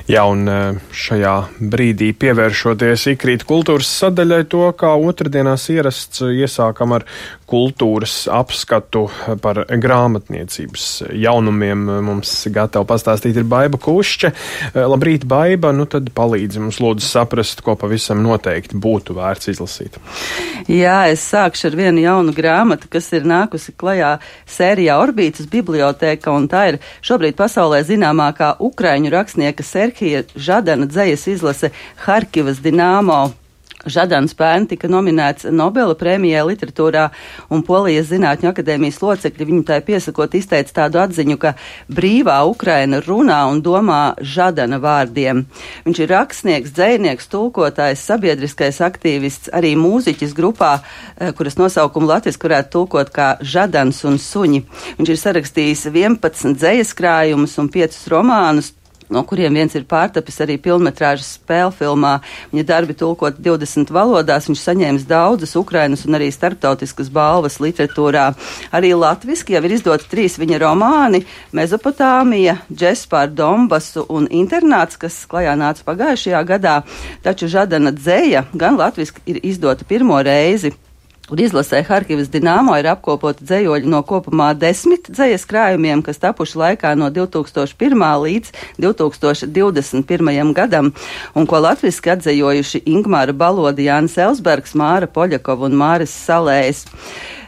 Jā, un šajā brīdī pievēršoties Ikrīt kultūras sadaļai, to kā otrdienās ierasts, iesākam ar kultūras apskatu par grāmatniecības jaunumiem. Mums gatava pastāstīt ir Baiba Kušķe. Labrīt, Baiba, nu tad palīdzi mums lūdzu saprast, ko pavisam noteikti būtu vērts izlasīt. Jā, es sākšu ar vienu jaunu grāmatu, kas ir nākusi klajā sērijā Orbītas bibliotēka, un tā ir šobrīd pasaulē zināmākā ukraiņu rakstnieka Serhija Žadana dzejas izlase Harkivas Dinamo. Žadans pērn tika nominēts Nobela prēmijai literatūrā, un Polijas Zinātņu akadēmijas locekļi viņu tai piesakot izteica tādu atziņu, ka brīvā Ukraina runā un domā Žadana vārdiem. Viņš ir rakstnieks, dzejnieks, tulkotājs, sabiedriskais aktīvists, arī mūziķis grupā, kuras nosaukumu latviski varētu tulkot kā Žadans un suņi. Viņš ir sarakstījis 11 dzejas krājumus un 5 romānus, no kuriem viens ir pārtapis arī pilnmetrāžas spēlfilmā. Viņa darbi tulkot 20 valodās, viņš saņēmis daudzas Ukrainas un arī starptautiskas balvas literatūrā. Arī latviski jau ir izdoti 3 viņa romāni – Mezopotāmija, Džess pār Donbasu un Internāts, kas klajā nāca pagājušajā gadā. Taču Žadana dzeja gan latviski ir izdota pirmo reizi. Un izlasē Harkivas Dinamo ir apkopota dzejoļi no kopumā 10 dzejas krājumiem, kas tapuši laikā no 2001. līdz 2021. gadam, un ko latviski atdzejojuši Ingmāra Balode, Jānis Elsbergs, Māra Poļakova un Māris Salējs.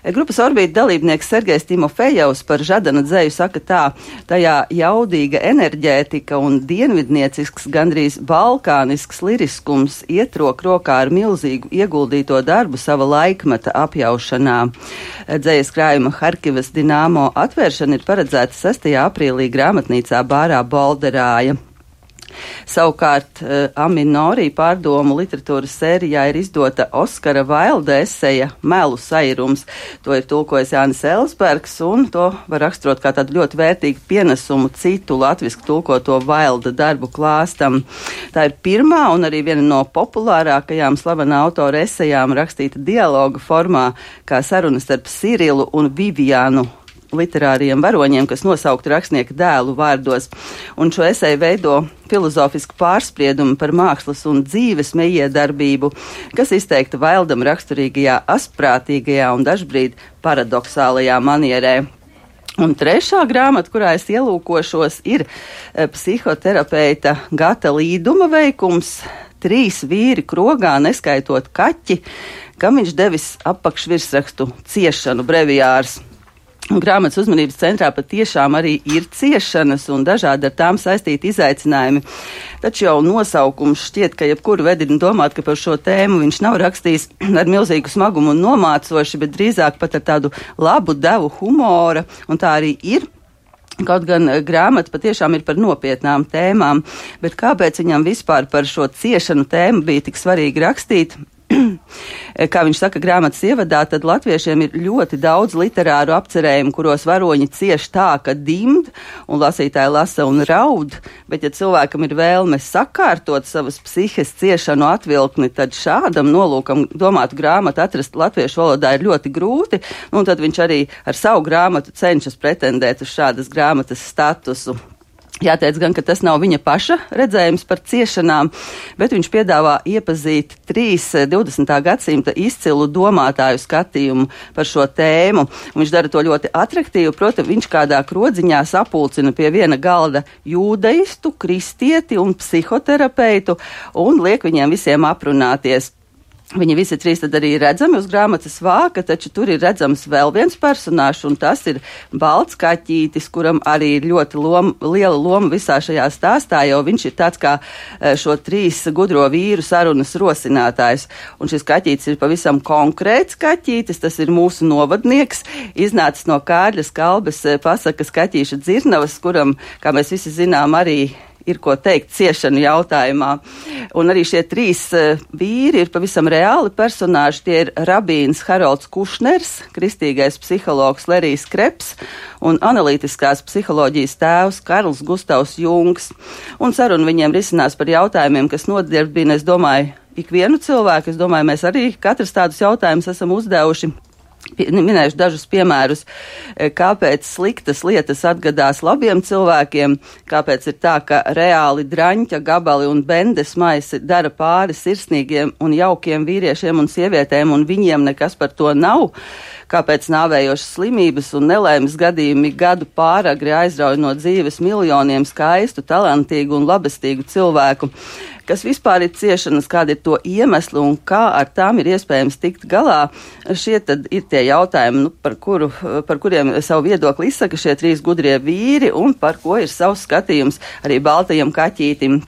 Grupas Orbīta dalībnieks Sergejs Timofejevs par Žadana dzeju saka tā: tajā jaudīga enerģētika un dienvidniecisks, gandrīz balkānisks liriskums iet rokā ar milzīgu ieguldīto darbu sava laikmeta apjaušanā. Dzejas krājuma Harkivas Dinamo atvēršana ir paredzēta 6. aprīlī grāmatnīcā Bārā Bolderāja. Savukārt Aminorī pārdomu literatūras sērijā ir izdota Oskara Vailda eseja Melu sairums. To ir tulkojis Jānis Elsbergs, un to var raksturot kā tādu ļoti vērtīgu pienesumu citu latviski tulkoto Vailda darbu klāstam. Tā ir pirmā un arī viena no populārākajām slavena autora esejām rakstīta dialoga formā, kā sarunas starp Sirilu un Vivianu, literāriem varoņiem, kas nosaukti rakstnieka dēlu vārdos. Un šo eseju veido filozofisku pārspriedumu par mākslas un dzīves meiedarbību, kas izteikta Vaildam raksturīgajā asprātīgajā un dažbrīd paradoxālajā manierē. Un trešā grāmata, kurā es ielūkošos, ir psihoterapeita Gata Līduma veikums 3 vīri krogā, neskaitot kaķi, kam viņš devis apakšvirsrakstu ciešanu breviārs. Grāmatas uzmanības centrā patiešām arī ir ciešanas un dažādi ar tām saistīti izaicinājumi. Taču jau nosaukums šķiet, ka jebkuru vedina domāt, ka par šo tēmu viņš nav rakstījis ar milzīgu smagumu un nomācoši, bet drīzāk pat ar tādu labu devu humora, un tā arī ir. Kaut gan grāmata patiešām ir par nopietnām tēmām, bet kāpēc viņam vispār par šo ciešanu tēmu bija tik svarīgi rakstīt? Kā viņš saka grāmatas ievadā, tad latviešiem ir ļoti daudz literāru apcerējumu, kuros varoņi cieš tā, ka dimd, un lasītāji lasa un raud, bet ja cilvēkam ir vēlme sakārtot savas psihes ciešanu atvilkni, tad šādam nolūkam domātu grāmatu atrast latviešu valodā ir ļoti grūti, un tad viņš arī ar savu grāmatu cenšas pretendēt uz šādas grāmatas statusu. Jāteic gan, ka tas nav viņa paša redzējums par ciešanām, bet viņš piedāvā iepazīt 3 20. gadsimta izcilu domātāju skatījumu par šo tēmu. Viņš dara to ļoti atraktīvu, proti viņš kādā krodziņā sapulcina pie viena galda jūdeistu, kristieti un psihoterapeitu un liek viņiem visiem aprunāties. Viņi visi 3 tad arī redzami uz grāmatas vāka, taču tur ir redzams vēl viens personāžs, un tas ir balts kaķītis, kuram arī ir ļoti liela loma visā šajā stāstā, jo viņš ir tāds kā šo 3 gudro vīru sarunas rosinātājs. Un šis kaķītis ir pavisam konkrēts kaķītis, tas ir mūsu novadnieks, iznācis no Kārļa Skalbes pasakas Kaķīša Dzirnavas, kuram, kā mēs visi zinām, arī ir ko teikt ciešanu jautājumā. Un arī šie 3 vīri ir pavisam reāli personāži. Tie ir rabīns Harolds Kušners, kristīgais psihologs Lerijs Kreps un analītiskās psiholoģijas tēvs Karls Gustavs Jungs. Un saruna viņiem risinās par jautājumiem, kas nodarbina, es domāju, ikvienu cilvēku. Es domāju, mēs arī katrs tādus jautājumus esam uzdevuši. Minēšu dažus piemērus, kāpēc sliktas lietas atgadās labiem cilvēkiem, kāpēc ir tā, ka reāli draņķa gabali un bendes maisi dara pāri sirsnīgiem un jaukiem vīriešiem un sievietēm, un viņiem nekas par to nav, kāpēc nāvējošas slimības un nelaimes gadījumi gadu pāragri aizrauj no dzīves miljoniem skaistu, talantīgu un labestīgu cilvēku. Kas vispār ir ciešanas, kādi ir to iemesli un kā ar tām ir iespējams tikt galā. Šie tad ir tie jautājumi, par kuriem savu viedokli izsaka šie 3 gudrie vīri un par ko ir savs skatījums arī baltajam kaķītim.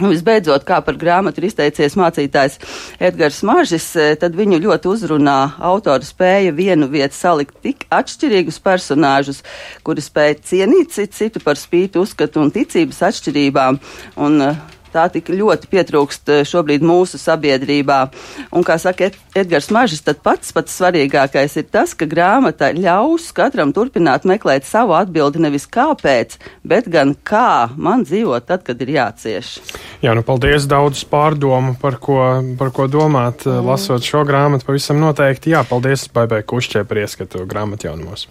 Un visbeidzot, kā par grāmatu ir izteicies mācītājs Edgars Mažis, tad viņu ļoti uzrunā autora spēja vienu vietu salikt tik atšķirīgus personāžus, kuri spēja cienīt citu par spīti uzskatu un ticības atšķirībām. Un tā tik ļoti pietrūkst šobrīd mūsu sabiedrībā. Un, kā saka Edgars Mažis, tad pats svarīgākais ir tas, ka grāmata ļaus katram turpināt meklēt savu atbildi nevis kāpēc, bet gan kā man dzīvot tad, kad ir jācieš. Jā, paldies, daudz pārdomu, par ko domāt, lasot šo grāmatu pavisam noteikti. Jā, paldies Baibai Kušķē par ieskatu grāmatjaunumos.